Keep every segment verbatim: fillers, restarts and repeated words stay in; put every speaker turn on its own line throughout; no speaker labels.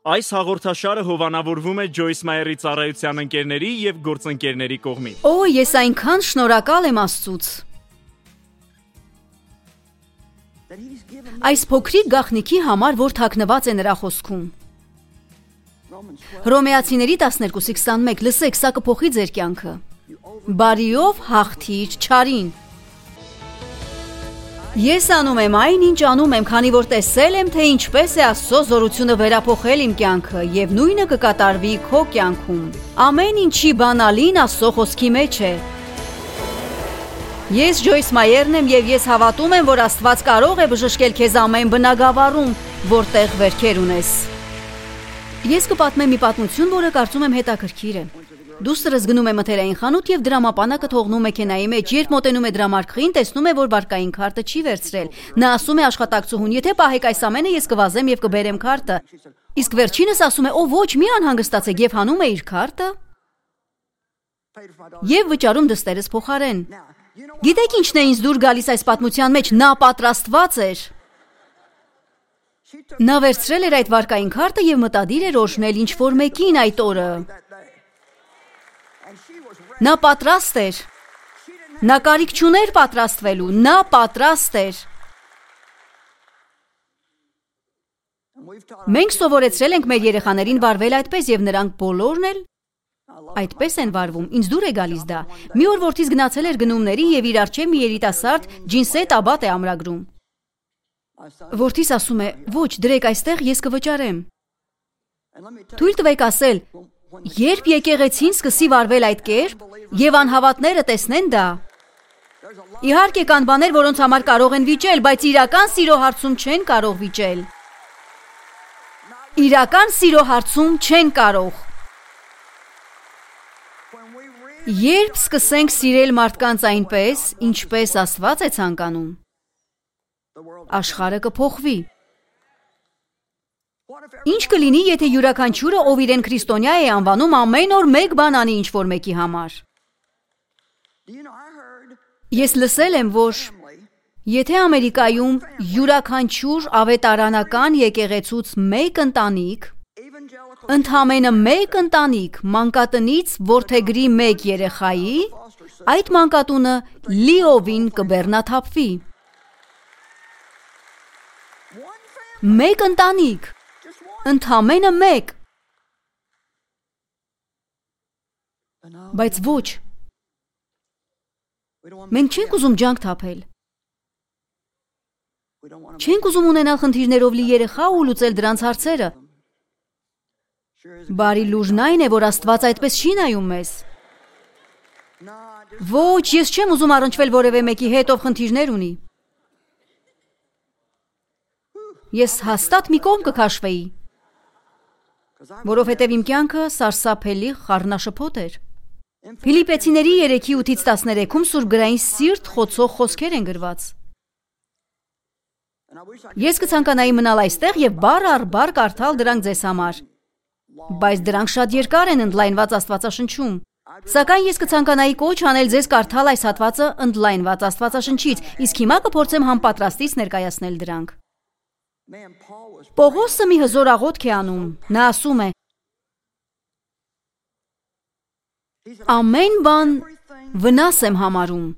Այս հաղորդաշարը հովանավորվում է Ջոյս Մայերի ծառայության ընկերների և գործընկերների կողմից։
Օ, ես այնքան շնորհակալ եմ Աստծուց։ Այս փոքրիկ գաղտնիքի համար, որ թաքնված է նրա խոսքում։ Հռոմեացիների տասներկուսի քսանմեկ, լսեք, սա կփոխի ձեր կյանքը։ Բարիով հաղթիր չարին։ Ես անում եմ այն, ինչ անում եմ, քանի որ տեսել եմ, թե ինչպես է Աստծո զորությունը վերափոխել իմ կյանքը, և նույնը կկատարվի քո կյանքում։ Ամեն ինչի բանալին Աստծո խոսքի մեջ է։ Ես Ջոյս Մայերն եմ, և ես հավատում եմ, որ Աստված կարող է բժշկել քեզ ամեն բնագավառում, որտեղ վերքեր ունես։ Ես կպատմեմ մի պատմություն, որը կարծում եմ հետաքրքիր է։ Դուստրս գնում է մթերային խանութ և դրամապանակը թողնում մեքենայի մեջ, երբ մոտենում է դրամարկղին, տեսնում է, որ վարկային քարտը չի վերցրել։ Նա ասում է աշխատակցուհուն. «Եթե պահեք այս ամենը, ես կվազեմ և կբերեմ քարտը»։ Իսկ վերջինս ասում է. «Օ, ոչ, մի անհանգստացեք», և հանում է իր քարտը և վճարում դստերս փոխարեն։ Գիտեք ինչն է ինձ դուր գալիս այս պատմության մեջ։ Նա պատրաստված էր։ Նա վերցրել էր այդ վարկային քարտը և մտադիր էր օրհնել ինչ-որ մեկին այդ օրը։ Նա պատրաստ էր։ Նա կարիք չուներ պատրաստվելու։ Նա պատրաստ էր։ Մենք սովորեցրել ենք մեր երեխաներին վարվել այդպես, և նրանք բոլորն էլ այդպես են վարվում։ Ինձ դուր է գալիս դա։ Մի օր որդիս գնացել էր գնումների և իր առջև մի երիտասարդ ջինսետ աբատ է ամրագրում։ Որդիս ասում է. «Ոչ, դրեք այստեղ, ես կվճարեմ»։ Թույլ տվեք ասել, երբ եկեղեցին սկսի վարվել այդ կերպ, և անհավատները տեսնեն դա, իհարկե կան բաներ, որոնց համար կարող են վիճել, բայց իրական սիրո հարցում չեն կարող վիճել։ Իրական սիրո հարցում չեն կարող։ Երբ սկսենք սիրել մարդկանց այնպես, ինչպես Աստված է ցանկանում, աշխարհը կփոխվի։ Ինչ կլինի, եթե յուրաքանչյուրը, ով իրեն քրիստոնյա է անվանում, ամեն օր մեկ բան անի ինչ-որ մեկի համար։ Ես լսել եմ, որ եթե Ամերիկայում յուրաքանչյուր ավետարանական եկեղեցուց մեկ ընտանիք, ընդամենը մեկ ընտանիք մանկատնից որդեգրի մեկ երեխայի, այդ մանկատունը լիովին կբեռնաթափվի։ Մեկ ընտանիք, ընդամենը մեկ։ Բայց ոչ, մենք չենք ուզում ջանք թափել։ Չենք ուզում ունենալ խնդիրներով լի երեխա ու լուծել դրանց հարցերը։ Բարի լուժն այն է, որ Աստված այդպես չի նայում մեզ։ Ոչ, ես չեմ ուզում առնչվել որևէ մեկի հետ, ով խնդիրներ ունի։ Ես հաստատ մի կողմ կքաշվեի, որովհետև իմ կյանքը սարսափելի խառնաշփոթ էր։ Ֆիլիպեցիների երեքի ութից տասներեքում սուրբգրային սիրտ խոցող խոսքեր են գրված։ Ես կցանկանայի մնալ այստեղ և բառ առ բառ կարդալ դրանք ձեզ համար, բայց դրանք շատ երկար են ընդլայնված Աստվածաշնչում։ Սակայն ես կցանկանայի կոչ անել ձեզ կարդալ այս հատվածը ընդլայնված Աստվածաշնչից, իսկ հիմա կփորձեմ համապատրաստից ներկայացնել դրանք։ Պողոսը մի հզոր աղոթք է անում։ Նա ասում է. «Ամեն բան վնաս եմ համարում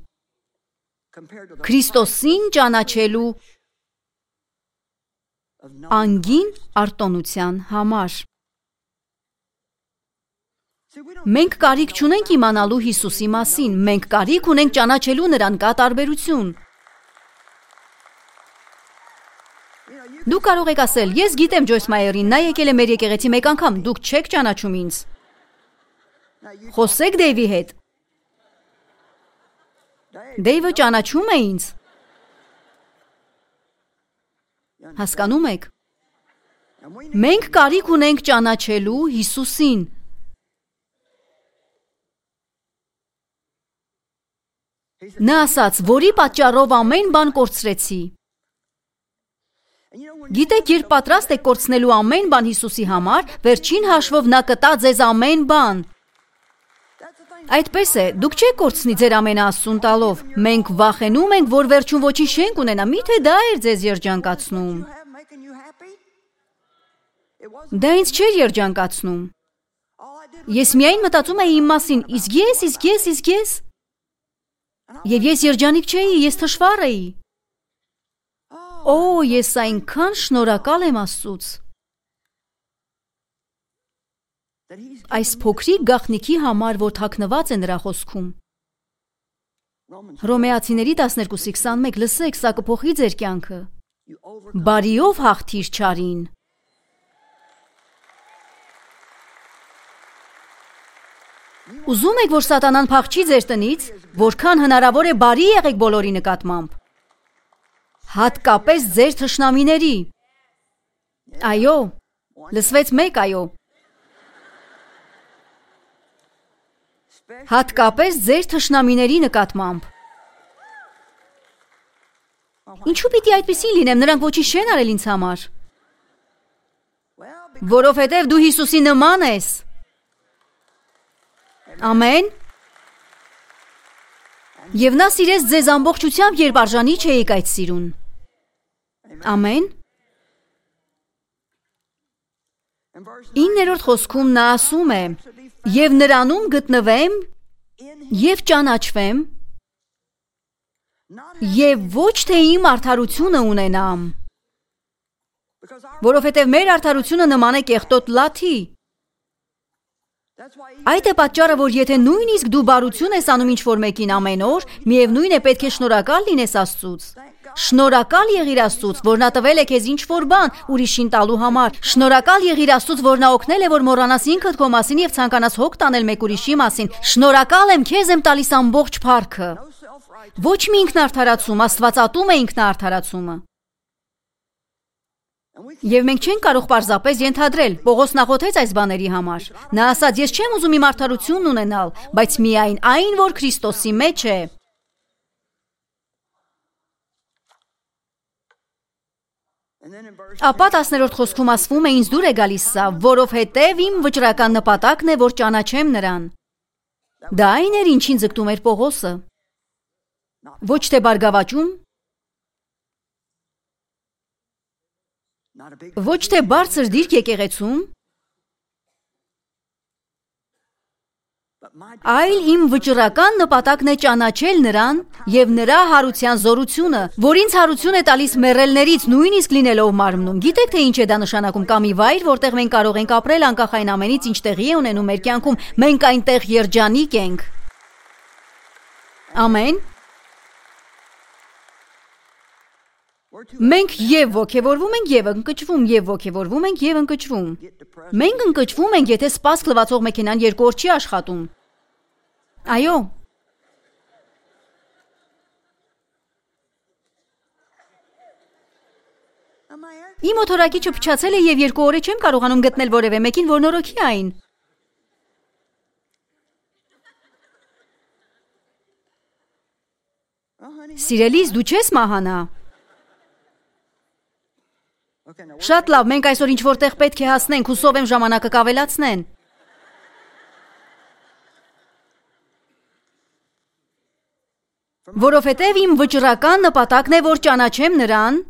Քրիստոսին ճանաչելու անգին արտոնության համար»։ Մենք կարիք չունենք իմանալու Հիսուսի մասին, մենք կարիք ունենք ճանաչելու նրան, կա տարբերություն։ Դուք կարող եք ասել, ես գիտեմ Ջոյս Մայերին, նա եկել է մեր եկեղեցի մեկ անգամ, դուք չեք ճանաչում ինձ։ Խոսեք Դեյվի հետ։ Դեյվը ճանաչում է ինձ։ Հասկանում եք։ Մենք կարիք ունենք ճանաչելու Հիսուսին։ Նա ասաց, որի պատճառով ամեն բան կորցրեցի։ Գիտեք, երբ պատրաստ եք կորցնելու ամեն բան Հիսուսի համար, վերջին հաշվով նա կտա ձեզ ամեն բան։ Այդպես է, դուք չեք կորցնի ձեր ամենաաստծուն տալով։ Մենք վախենում ենք, որ վերջում ոչինչ չենք ունենա, միթե դա էր ձեզ երջանկացնում։ Դա ինձ չէր երջանկացնում։ Ես միայն մտածում էի իմ մասին, իսկ ես, իսկ ես, իսկ ես։ Եվ ես երջանիկ չէի, ես թշվառ էի։ Օ, ես այնքան շնորհակալ եմ Աստծուց։ Այս փոքրիկ գաղտնիքի համար, որ թաքնված է նրա խոսքում։ Հռոմեացիների տասներկուսի քսանմեկ, լսեք, սա կփոխի ձեր կյանքը։ Բարիով հաղթիր չարին։ Ուզում եք, որ սատանան փախչի ձեր տնից, որքան հնարավոր է բարի եղեք բոլորի նկատմամբ։ Հատկապես ձեր թշնամիների։ Այո, լսվեց մեկ այո։ Հատկապես ձեր թշնամիների նկատմամբ։ Ինչու պիտի այդպիսին լինեմ, նրանք ոչինչ չեն արել ինձ համար։ Որովհետև դու Հիսուսի նման ես։ Ամեն։ Եվ նա սիրեց ձեզ ամբողջությամբ, երբ արժանի չէիք այդ սիրուն։ Ամեն։ Իններորդ խոսքում նա ասում է. «Եվ նրանում գտնվեմ և ճանաչվեմ, և ոչ թե իմ արդարությունը ունենամ, որովհետև մեր արդարությունը նման է կեղտոտ լաթի»։ Այդ է պատճառը, որ եթե նույնիսկ դու բարություն ես անում ինչ-որ մեկին ամեն օր, միևնույն է պետք է շնորհակալ լինես Աստծուց։ Շնորհակալ եղիր Աստծուց, որ նա տվել է քեզ ինչ-որ բան ուրիշին տալու համար։ Շնորհակալ եղիր Աստծուց, որ նա օգնել է, որ մոռանաս ինքդ քո մասին եւ ցանկանաս հոգ տանել մեկ ուրիշի մասին։ Շնորհակալ եմ, քեզ եմ տալիս ամբողջ փառքը։ Ոչ մի ինքնարդարացում, Աստվածատում է ինքնարդարացումը։ Եվ մենք չենք կարող պարզապես ենթադրել, Պողոս նախոթեց այս բաների համար։ Նա ասաց, ես չեմ ուզում իմ արդարությունն ունենալ, բայց միայն այն, որ Քրիստոսի մեջ է։ Ապա տասներորդ խոսքում ասվում է, ինձ դուր է գալիս սա, որովհետև իմ վճռական նպատակն է, որ ճանաչեմ նրան։ Դա այն էր, ինչին ձգտում էր Պողոսը։ Ոչ թե բարգավաճում, ոչ թե բարձր դիրք եկեղեցում, այլ իմ վճռական նպատակն է ճանաչել նրան և նրա հարության զորությունը, որ ինձ հարություն է տալիս մեռելներից, նույնիսկ լինելով մարմնում։ Գիտեք, թե ինչ է դա նշանակում, կամ մի վայր, որտեղ մենք կարող ենք ապրել անկախ այն ամենից, ինչ տեղի է ունենում մեր կյանքում, մենք այնտեղ երջանիկ ենք։ Ամեն։ Մենք և ոգևորվում ենք և ընկճվում, և ոգևորվում ենք և ընկճվում։ Մենք ընկճվում ենք, եթե սպասք լվացող մեքենան երկու օր չի աշխատում։ Այո։ Իմ օթորակիչը փչացել է և երկու օր է չեմ կարողանում գտնել որևէ մեկին, որ նորոգի այն։ Սիրելիս, դու չես մահանա։ Շատ լավ, մենք այսօր ինչ-որ տեղ պետք է հասնենք, հուսով եմ ժամանակը կավելացնեն։ Որովհետև իմ վճռական նպատակն է, որ ճանաչեմ նրան,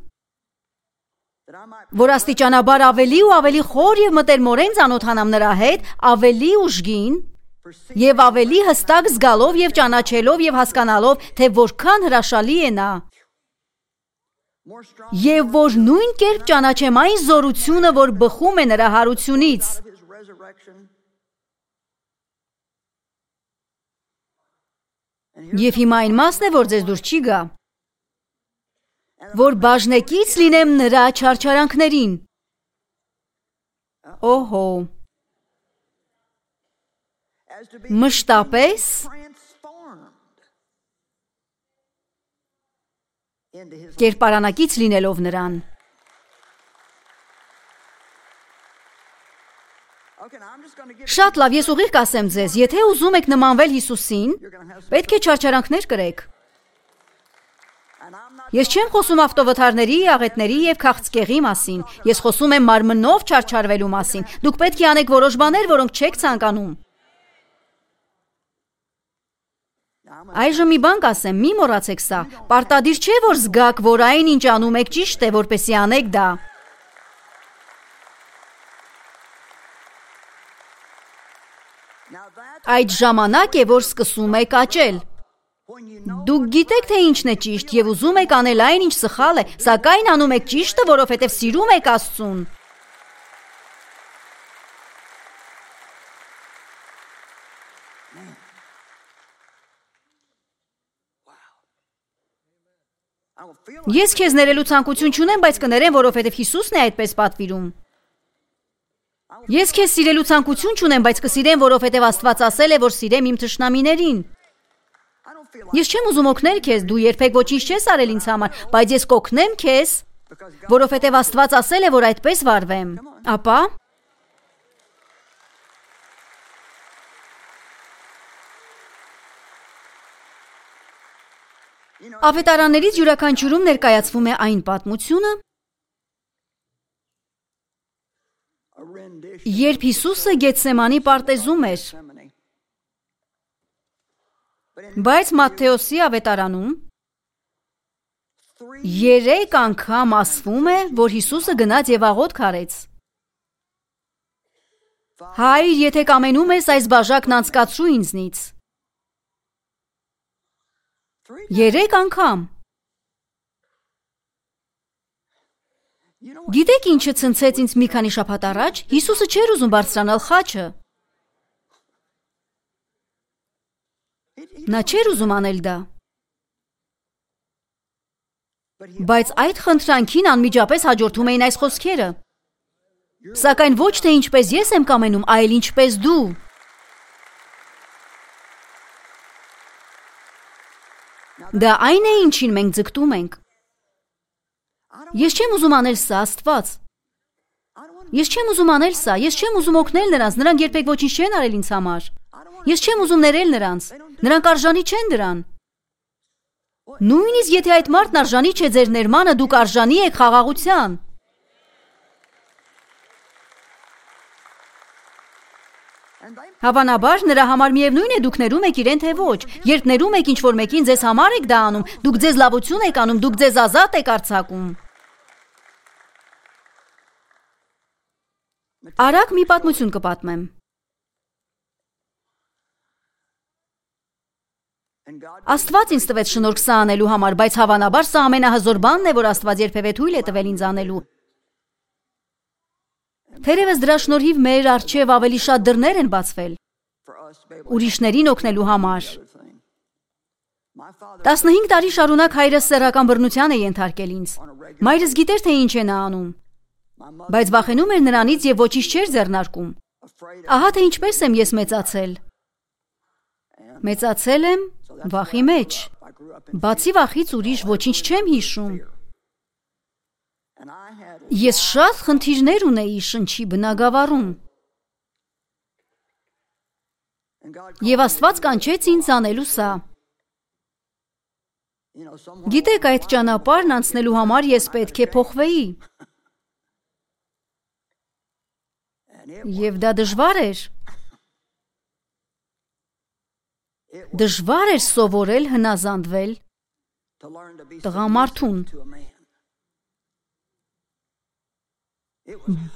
որ աստիճանաբար ավելի ու ավելի խոր և մտերմորեն ծանոթանամ նրա հետ, ավելի ուժգին և ավելի հստակ զգալով և ճանաչելով և հասկանալով, թե որքան հրաշալի է նա։ Եվ որ նույն կերպ ճանաչեմ այն զորությունը, որ բխում է նրա հարությունից։ Եվ հիմա այն մասն է, որ ձեզ դուր չի գա, որ բաժնեկից լինեմ նրա չարչարանքներին։ Օհո։ Մշտապես կերպարանակից լինելով նրան։ Շատ լավ, ես ուղիղ կասեմ ձեզ, եթե ուզում եք նմանվել Հիսուսին, պետք է չարչարանքներ կրեք։ Ես չեմ խոսում ավտովթարների, աղետների և քաղցկեղի մասին, ես խոսում եմ մարմնով չարչարվելու մասին։ Դուք պետք է անեք որոշ բաներ, որոնք չեք ցանկանում։ Այժմ մի բան կասեմ, մի մոռացեք սա, պարտադիր չէ, որ զգաք, որ այն ինչ անում եք ճիշտ է, որպեսզի անեք դա։ Այդ ժամանակ է, որ սկսում եք աճել։ Դուք գիտեք, թե ինչն է ճիշտ եւ ուզում եք անել այն, ինչ սխալ է, սակայն անում եք ճիշտը, որովհետեւ սիրում եք Աստծուն։ Ես քեզ ներելու ցանկություն չունեմ, բայց կներեմ, որովհետև Հիսուսն է այդպես պատվիրում։ Ես քեզ սիրելու ցանկություն չունեմ, բայց կսիրեմ, որովհետև Աստված ասել է, որ սիրեմ իմ թշնամիներին։ Ես չեմ ուզում օգնել քեզ, դու երբեք ոչինչ չես արել ինձ համար, բայց ես կօգնեմ քեզ, որովհետև Աստված ասել է, որ այդպես վարվեմ։ Ապա Ավետարաններից յուրաքանչյուրում ներկայացվում է այն պատմությունը, երբ Հիսուսը Գեթսեմանի պարտեզում էր, բայց Մատթեոսի ավետարանում երեք անգամ ասվում է, որ Հիսուսը գնաց եւ աղոթք արեց։ Հայր, եթե կամենում ես, այս բաժակն անցկացրու ինձնից։ Երեք անգամ։ Գիտեք ինչը ցնցեց ինձ մի քանի շաբաթ առաջ, Հիսուսը չէր ուզում բարձրանալ խաչը։ Նա չէր ուզում անել դա։ Բայց այդ խնդրանքին անմիջապես հաջորդում էին այս խոսքերը. Սակայն ոչ թե ինչպես ես եմ կամենում, այլ ինչպես դու։ Դա այն է, ինչին մենք ձգտում ենք։ Ես չեմ ուզում անել սա, Աստված։ Ես չեմ ուզում անել սա, ես չեմ ուզում օգնել նրանց, նրանք երբեք ոչինչ չեն արել ինձ համար։ Ես չեմ ուզում ներել նրանց, նրանք արժանի չեն դրան։ Նույնիսկ եթե այդ մարդն արժանի չէ ձեր ներմանը, դուք արժանի եք խաղաղության։ Հավանաբար նրա համար միևնույն է դուք ներում եք իրեն թե ոչ։ Երբ ներում եք ինչ-որ մեկին, ձեզ համար եք դա անում, դուք ձեզ լավություն եք անում, դուք ձեզ ազատ եք արձակում։ Արագ մի պատմություն կպատմեմ։ Աստված ինձ տվեց շնորհք սա անելու համար, բայց հավանաբար սա ամենահզոր բանն է, որ Աստված երբևէ թույլ է տվել ինձ անելու։ Թերևս դրա շնորհիվ մեր առջև ավելի շատ դռներ են բացվել ուրիշներին օգնելու համար։ տասնհինգ տարի շարունակ հայրս սեռական բռնության է ենթարկել ինձ։ Մայրս գիտեր, թե ինչ է նա անում, բայց վախենում էր նրանից եւ ոչինչ չէր ձեռնարկում։ Ահա թե ինչպես եմ ես մեծացել։ Մեծացել եմ վախի մեջ։ Բացի վախից ուրիշ ոչինչ չեմ հիշում։ Ես շատ խնդիրներ ունեի շնչի բնագավառում։ Եվ Աստված կանչեց ինձ անելու սա։ Գիտեք, այդ ճանապարհն անցնելու համար ես պետք է փոխվեի։ Եվ դա դժվար էր։ Դժվար էր սովորել հնազանդվել տղամարդուն։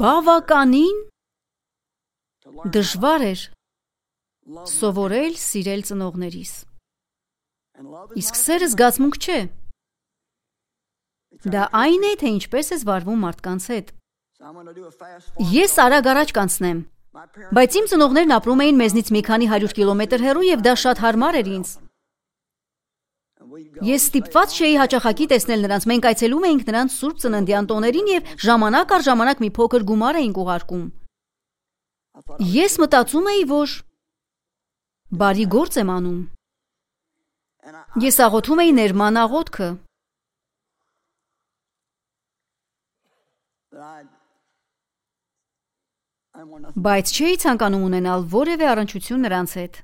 Բավականին դժվար էր սովորել սիրել ծնողներիս։ Իսկ սերը զգացմունք չէ։ Դա այն է, թե ինչպես ես վարվում մարդկանց հետ։ Ես արագ առաջ կանցնեմ, բայց իմ ծնողներն ապրում էին մեզնից մի քանի հարյուր կիլոմետր հեռու եւ դա շատ հարմար էր ինձ։ Ես ստիպված չէի հաճախակի տեսնել նրանց, մենք այցելում էինք նրանց սուրբ ծննդյան տոներին եւ ժամանակ առ ժամանակ մի փոքր գումար էինք ուղարկում։ Ես մտածում էի, որ բարի գործ եմ անում։ Ես աղոթում էի ներման աղոթքը։ Բայց չէի ցանկանում ունենալ որևէ առնչություն նրանց հետ։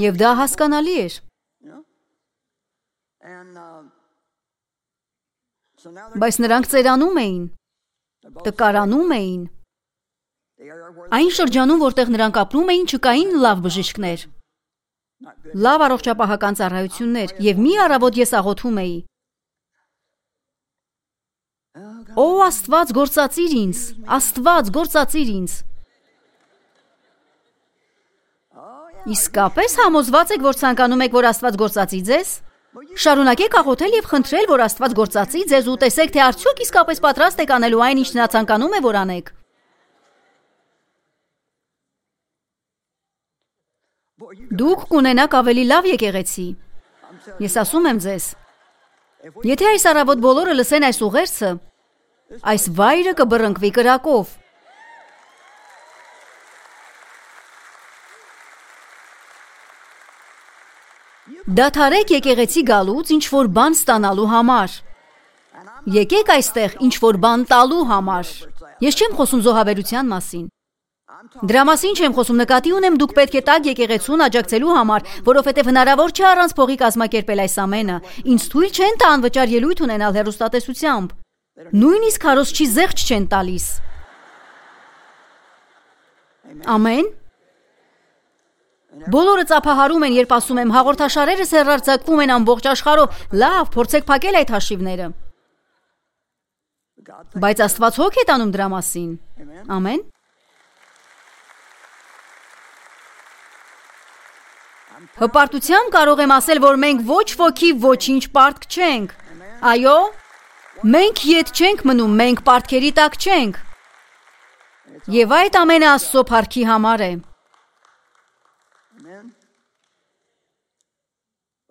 Եվ դա հասկանալի էր։ Բայց նրանք ծերանում էին, տկարանում էին։ Այն շրջանում, որտեղ նրանք ապրում էին, չկային լավ բժիշկներ, լավ առողջապահական ծառայություններ, եւ մի առավոտ ես աղոթում էի. Օ Աստված, գործածիր ինձ, Աստված, գործածիր ինձ։ Իսկապես համոզված եք, որ ցանկանում եք, որ Աստված գործածի ձեզ։ Շարունակեք աղոթել եւ խնդրել, որ Աստված գործածի ձեզ ու տեսեք, թե արդյոք իսկապես պատրաստ եք անելու այն, ինչ նա ցանկանում է, որ անեք։ Դուք կունենաք ավելի լավ եկեղեցի։ Ես ասում եմ ձեզ, եթե այս առավոտ բոլորը լսեն այս ուղերձը, այս վայրը կբռնկվի կրակով։ Դադարեք եկեղեցի գալուց ինչ որ բան ստանալու համար։ Եկեք այստեղ ինչ որ բան տալու համար։ Ես չեմ խոսում զոհաբերության մասին։ Դրա մասին չեմ խոսում, նկատի ունեմ դուք պետք է տակ եկեղեցուն աջակցելու համար, որովհետև հնարավոր չէ առանց փողի կազմակերպել այս ամենը։ Ինձ թույլ չեն տա անվճար ելույթ ունենալ հեռուստատեսությամբ։ Նույնիսկ քարոզչի զեղչ չեն տալիս։ Ամեն։ Բոլորը ծափահարում են, երբ ասում եմ, հաղորդաշարերս հեռարձակվում են ամբողջ աշխարհով։ Լավ, փորձեք փակել այդ հաշիվները։ Բայց Աստված հոգ է տանում դրա մասին։ Ամեն։ Հպարտությամբ կարող եմ ասել, որ մենք ոչ ոքի ոչինչ պարտք չենք։ Այո, մենք ետ չենք մնում, մենք պարտքերի տակ չենք։ Եվ այդ ամենը Աստծո փառքի համար է։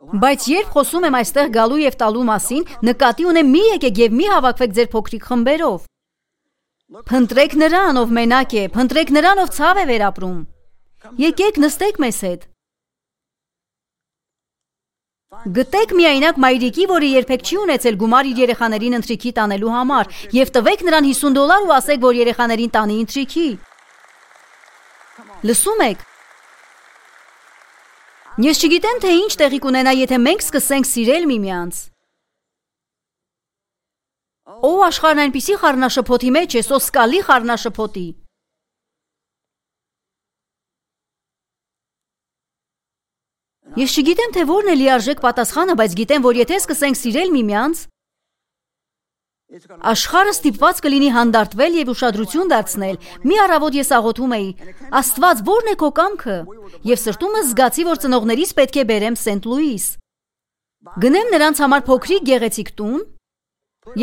Բայց երբ խոսում եմ այստեղ գալու եւ տալու մասին, նկատի ունեմ մի եկեք եւ մի հավաքվեք ձեր փոքրիկ խմբերով։ Փնտրեք նրան, ով մենակ է, փնտրեք նրան, ով ցավ է վերապրում։ Եկեք նստեք մեզ հետ։ Գտեք միայնակ մայրիկի, որը երբեք չի ունեցել գումար իր երեխաներին ընթրիքի տանելու համար, եւ տվեք նրան հիսուն դոլար ու ասեք, որ երեխաներին տանի ընթրիքի։ Լսում եք։ Ես չգիտեմ, թե ինչ տեղի կունենա, եթե մենք սկսենք սիրել միմյանց։ Օ, աշխարհն այնպիսի խառնաշփոթի մեջ է, սոսկալի խառնաշփոթի։ Ես չգիտեմ, թե որն է լիարժեք պատասխանը, բայց գիտեմ, որ եթե սկսենք սիրել միմյանց, աշխարհը ստիպված կլինի հանդարտվել եւ ուշադրություն դարձնել։ Մի առավոտ ես աղոթում էի. Աստված, ո՞րն է քո կամքը։ Եվ սրտումս զգացի, որ ծնողներիս պետք է բերեմ Սենտ Լուիս։ Գնեմ նրանց համար փոքրիկ գեղեցիկ տուն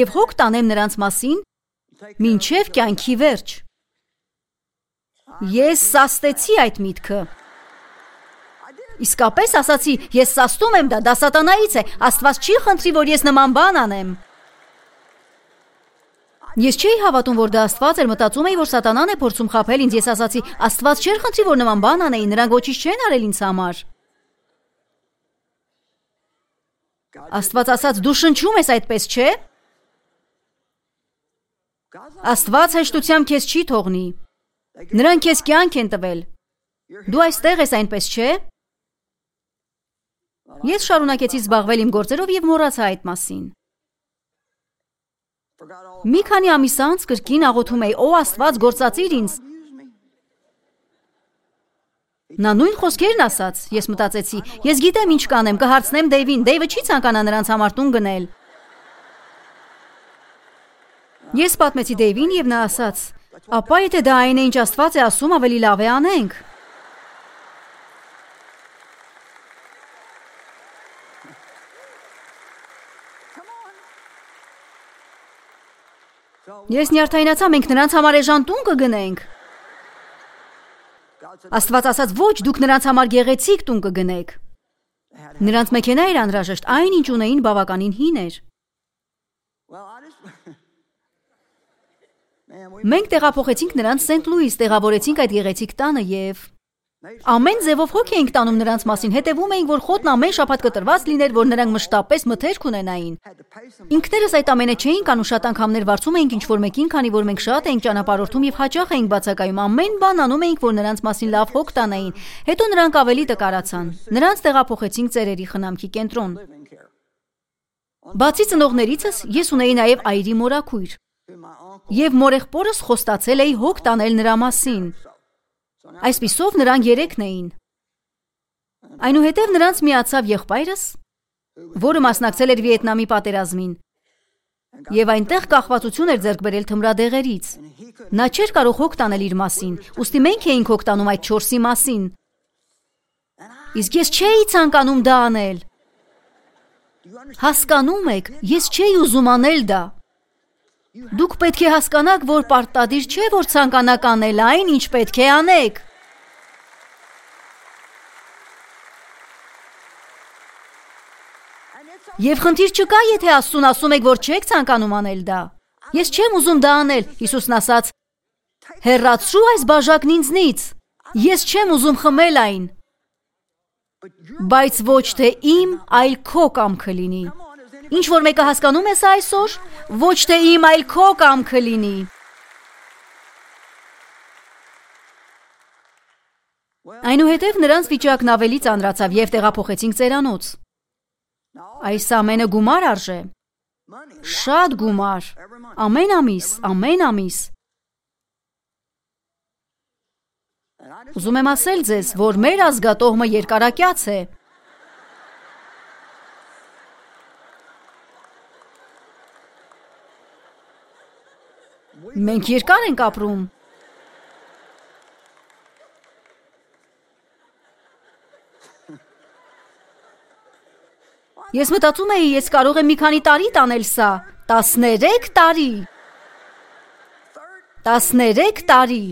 եւ հոգ տանեմ նրանց մասին մինչեւ կյանքի վերջ։ Ես սաստեցի այդ միտքը։ Իսկապես ասացի, ես սաստում եմ դա, դա սատանայից է, Աստված չի խնդրի, որ ես նման բան անեմ։ Ես չէի հավատում, որ դա Աստված էր, մտածում էի, որ սատանան է փորձում խաբել ինձ, ես ասացի, Աստված չէր խնդրի, որ նման բան անեի, նրանք ոչինչ չեն արել ինձ համար։ Աստված ասաց, դու շնչում ես այդպես, չէ՞։ Աստված հեշտությամբ քեզ չի թողնի։ Նրանք քեզ կյանք են տվել։ Դու այստեղ ես, այնպես չէ՞։ Ես շարունակեցի զբաղվել իմ գործերով եւ մոռացա այդ մասին։ Մի քանի ամիս անց կրկին աղոթում էի, օ Աստված, գործածիր ինձ։ Նա նույն խոսքերն ասաց, ես մտածեցի, ես գիտեմ ինչ կանեմ, կհարցնեմ Դեյվին, Դեյվը չի ցանկանա նրանց համար տուն գնել։ Ես պատմեցի Դեյվին եւ նա ասաց, ապա եթե դա այն է, ինչ Աստված է ասում, ավելի լավ է անենք։ Ես նյարդայնացա, մենք նրանց համար էժան տուն կգնենք։ Աստված ասաց, ոչ, դուք նրանց համար գեղեցիկ տուն կգնեք։ Նրանց մեքենա էր անհրաժեշտ, այն ինչ ունեին բավականին հին էր։ Մենք տեղափոխեցինք նրանց Սենտ Լուիս, տեղավորեցինք այդ գեղեցիկ տանը եւ ամեն ձևով հոգ էինք տանում նրանց մասին, հետևում էինք, որ խոտն ամեն շաբաթ կտրված լիներ, որ նրանք մշտապես մթերք ունենային։ Ինքներս այդ ամենը չէինք անում, շատ անգամներ վարձում էինք ինչ-որ մեկին, քանի որ մենք շատ էինք ճանապարհորդում եւ հաճախ էինք բացակայում, ամեն բան անում էինք, որ նրանց մասին լավ հոգ տանեին։ Հետո նրանք ավելի տկարացան։ Նրանց տեղափոխեցինք ծերերի խնամքի կենտրոն։ Բացի ծնողներիցս ես ունեի նաեւ այրի մորաքույր։ Եվ մորեղբորս խոստացել էի հոգ տանել նրա մասին։ Այսպիսով նրանք երեքն էին։ Այնուհետև նրանց միացավ եղբայրս, որը մասնակցել էր Վիետնամի պատերազմին, եւ այնտեղ կախվածություն էր ձեռք բերել թմրադեղերից։ Նա չէր կարող հոգ տանել իր մասին, ուստի մենք էինք հոգ տանում այդ չորսի մասին։ Իսկ ես չէի ցանկանում դա անել։ Հասկանում եք, ես չէի ուզում անել դա։ Դուք պետք է հասկանաք, որ պարտադիր չէ, որ ցանկանաք անել այն, ինչ պետք է անեք։ Եվ խնդիր չկա, եթե Աստծուն ասում եք, որ չեք ցանկանում անել դա։ Ես չեմ ուզում դա անել, Հիսուսն ասաց. հեռացրու այս բաժակն ինձնից։ Ես չեմ ուզում խմել այն։ Բայց ոչ թե իմ, այլ քո կամքը լինի։ Ինչ որ մեկը հասկանում է սա այսօր, ոչ թե իմ, այլ քո կամքը լինի։ Այնուհետև նրանց վիճակն ավելի ծանրացավ և տեղափոխեցինք ծերանոց։ Այս ամենը գումար արժե։ Շատ գումար։ Ամեն ամիս, ամեն ամիս։ Ուզում եմ ասել ձեզ, որ մեր ազգատոհմը երկարակյաց է։ Մենք երկար ենք ապրում։ Ես մտածում էի, ես կարող եմ մի քանի տարի տանել սա, տասներեք տարի։ Տասներեք տարի։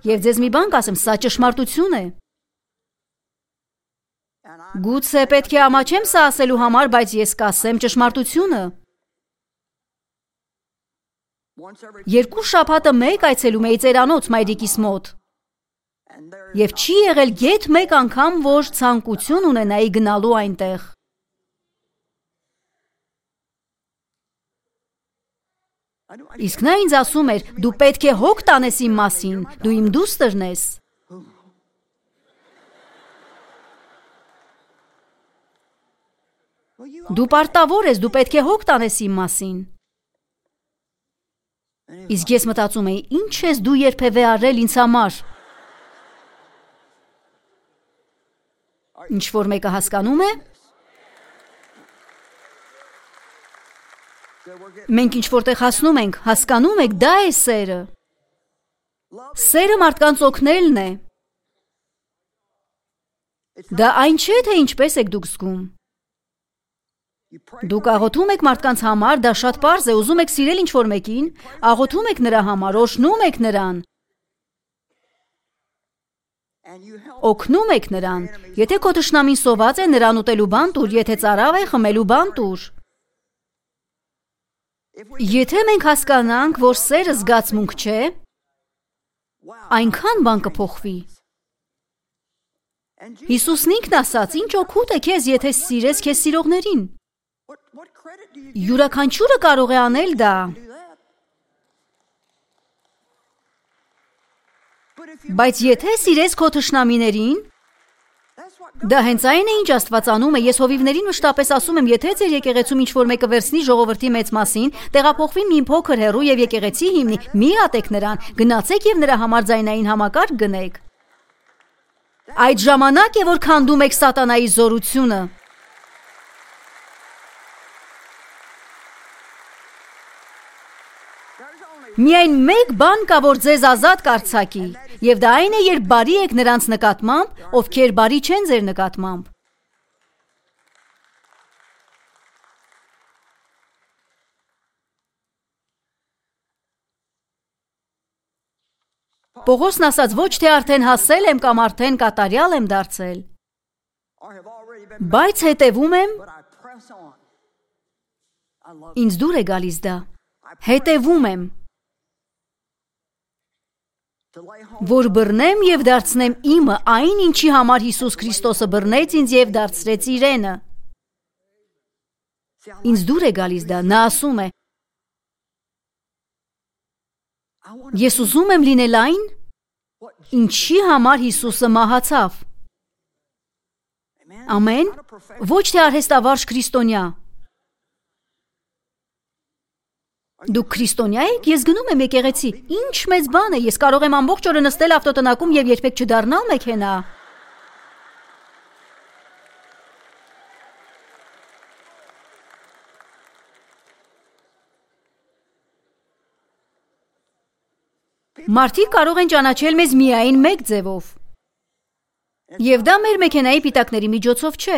Եվ ձեզ մի բան կասեմ, սա ճշմարտություն է։ Գուցե պետք է ամաչեմ սա ասելու համար, բայց ես կասեմ ճշմարտությունը։ Երկու շաբաթը մեկ այցելում էի ծերանոց մայրիկիս մոտ։ Եվ չի եղել գեթ մեկ անգամ, որ ցանկություն ունենայի գնալու այնտեղ։ Իսկ նա ինձ ասում էր, դու պետք է հոգ տանես իմ մասին, դու իմ դուստրն ես։ Դու պարտավոր ես, դու պետք է հոգ տանես իմ մասին։ Իսկ ես մտածում էի, ինչ ես դու երբևէ արել ինձ համար։ Ինչ որ մեկը հասկանում է։ Մենք ինչ որտեղ հասնում ենք, հասկանում եք, դա է սերը։ Սերը մարդկանց օգնելն է։ Դա այն չէ, թե ինչպես եք դուք զգում։ Դուք աղոթում եք մարդկանց համար, դա շատ պարզ է, ուզում եք սիրել ինչ-որ մեկին, աղոթում եք նրա համար, օրհնում եք նրան։ Օգնում եք նրան։ Եթե քո թշնամին սոված է, նրան ուտելու բան տուր, եթե ծարավ է, խմելու բան տուր։ Եթե մենք հասկանանք, որ սերը զգացմունք չէ, այնքան բան կփոխվի։ Հիսուսն ինքն ասաց, ինչ օգուտ է քեզ, եթե սիրես քեզ սիրողներին։ Յուրաքանչյուրը կարող է անել դա։ Բայց եթե սիրես քո թշնամիներին, դա հենց այն է, ինչ Աստված անում է։ Ես հովիվներին մշտապես ասում եմ, եթե ձեր եկեղեցում ինչ-որ մեկը վերցնի ժողովրդի մեծ մասին, տեղափոխվի մի փոքր հեռու եւ եկեղեցի հիմնի, մի ատեք նրան, գնացեք եւ նրա համար ձայնային համակարգ գնեք։ Այդ ժամանակ է, որ քանդում եք սատանայի զորությունը։ Միայն մեկ բան կա, որ ձեզ ազատ կարձակի, եւ դա այն է, երբ բարի եք նրանց նկատմամբ, ովքեր բարի չեն ձեր նկատմամբ։ Պողոսն ասաց, ոչ թե արդեն հասել եմ կամ արդեն կատարյալ եմ դարձել, բայց հետևում եմ, ինձ դուր է գալիս դա, հետևում եմ, որ բռնեմ և դարձնեմ իմը այն, ինչի համար Հիսուս Քրիստոսը բռնեց ինձ և դարձրեց իրենը։ Ինձ դուր է գալիս դա, նա ասում է, ես ուզում եմ լինել այն, ինչի համար Հիսուսը մահացավ։ Ամեն, ոչ թե արհեստավարժ քրիստոնյա։ Դուք քրիստոնյա եք, ես գնում եմ եկեղեցի, ինչ մեծ բան է, ես կարող եմ ամբողջ օրը նստել ավտոտնակում և երբեք չդառնալ մեքենա։ Մարդիկ կարող են ճանաչել մեզ միայն մեկ ձևով։ Եվ դա մեր մեքենայի պիտակների միջոցով չէ,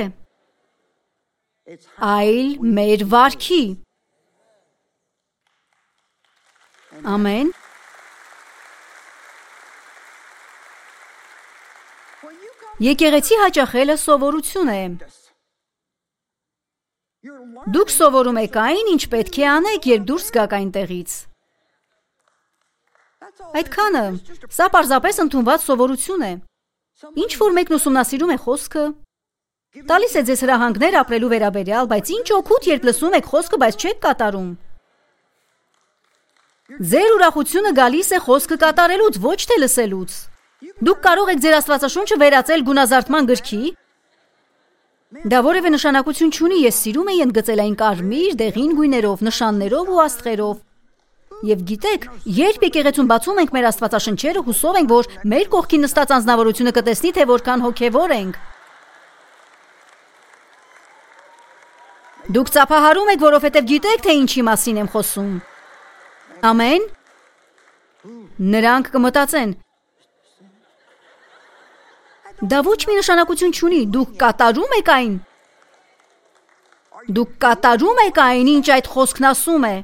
այլ մեր վարքի։ Ամեն։ Եկեղեցի հաճախելը սովորություն է։ Դուք սովորում եք այն, ինչ պետք է անեք, երբ դուրս գաք այնտեղից։ Այդքանը, սա պարզապես ընդունված սովորություն է։ Ինչ որ մեկն ուսումնասիրում է խոսքը, տալիս է ձեզ հրահանգներ ապրելու վերաբերյալ, բայց ինչ օգուտ, երբ լսում եք խոսքը, բայց չեք կատարում։ Ձեր ուրախությունը գալիս է խոսքը կատարելուց, ոչ թե լսելուց։ Դուք կարող եք ձեր Աստվածաշունչը վերածել գունազարդման գրքի։ Դա որևէ նշանակություն չունի, ես սիրում եի ընդգծել այն կարմիր, դեղին գույներով, նշաններով ու աստղերով։ Եվ գիտեք, երբ եկեղեցում բացում ենք մեր Աստվածաշնչերը, հուսով ենք, որ մեր կողքին նստած անձնավորությունը կտեսնի, թե որքան հոգևոր ենք։ Դուք ծափահարում եք, որովհետև գիտեք, թե ինչի մասին եմ խոսում։ Ամեն։ Նրանք կմտածեն. դա ոչ մի նշանակություն չունի, դուք կատարում եք այն։ Դուք կատարում եք այն, ինչ այդ խոսքն ասում է։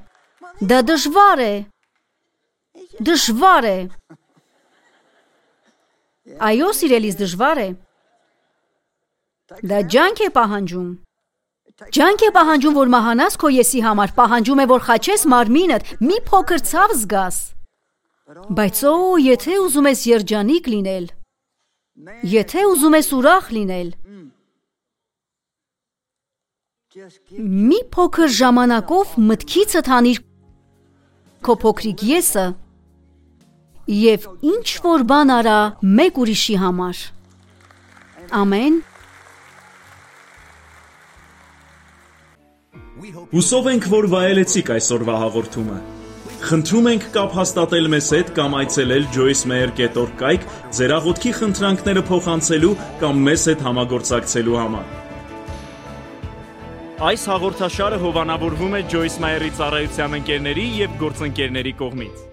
Դա դժվար է։ Դժվար է։ Այո, սիրելիս, դժվար է։ Դա ջանք է պահանջում։ Ջանք է պահանջում, որ մահանաս քո եսի համար, պահանջում է, որ խաչես մարմինդ, մի փոքր ցավ զգաս։ Բայց օ, եթե ուզում ես երջանիկ լինել, եթե ուզում ես ուրախ լինել, մի փոքր ժամանակով մտքիցդ հանիր քո փոքրիկ եսը և ինչ որ բան արա մեկ ուրիշի համար։ Ամեն։
Հուսով ենք, որ վայելեցիք այսօրվա հաղորդումը։ Խնդրում ենք կապ հաստատել մեզ հետ կամ այցելել joyce meyer dot org կայք ձեր աղոթքի խնդրանքները փոխանցելու կամ մեզ հետ համագործակցելու համար։ Այս հաղորդաշարը հովանավորվում է Joyce Meyer-ի ծառայության ընկերների և գործընկերների կողմից։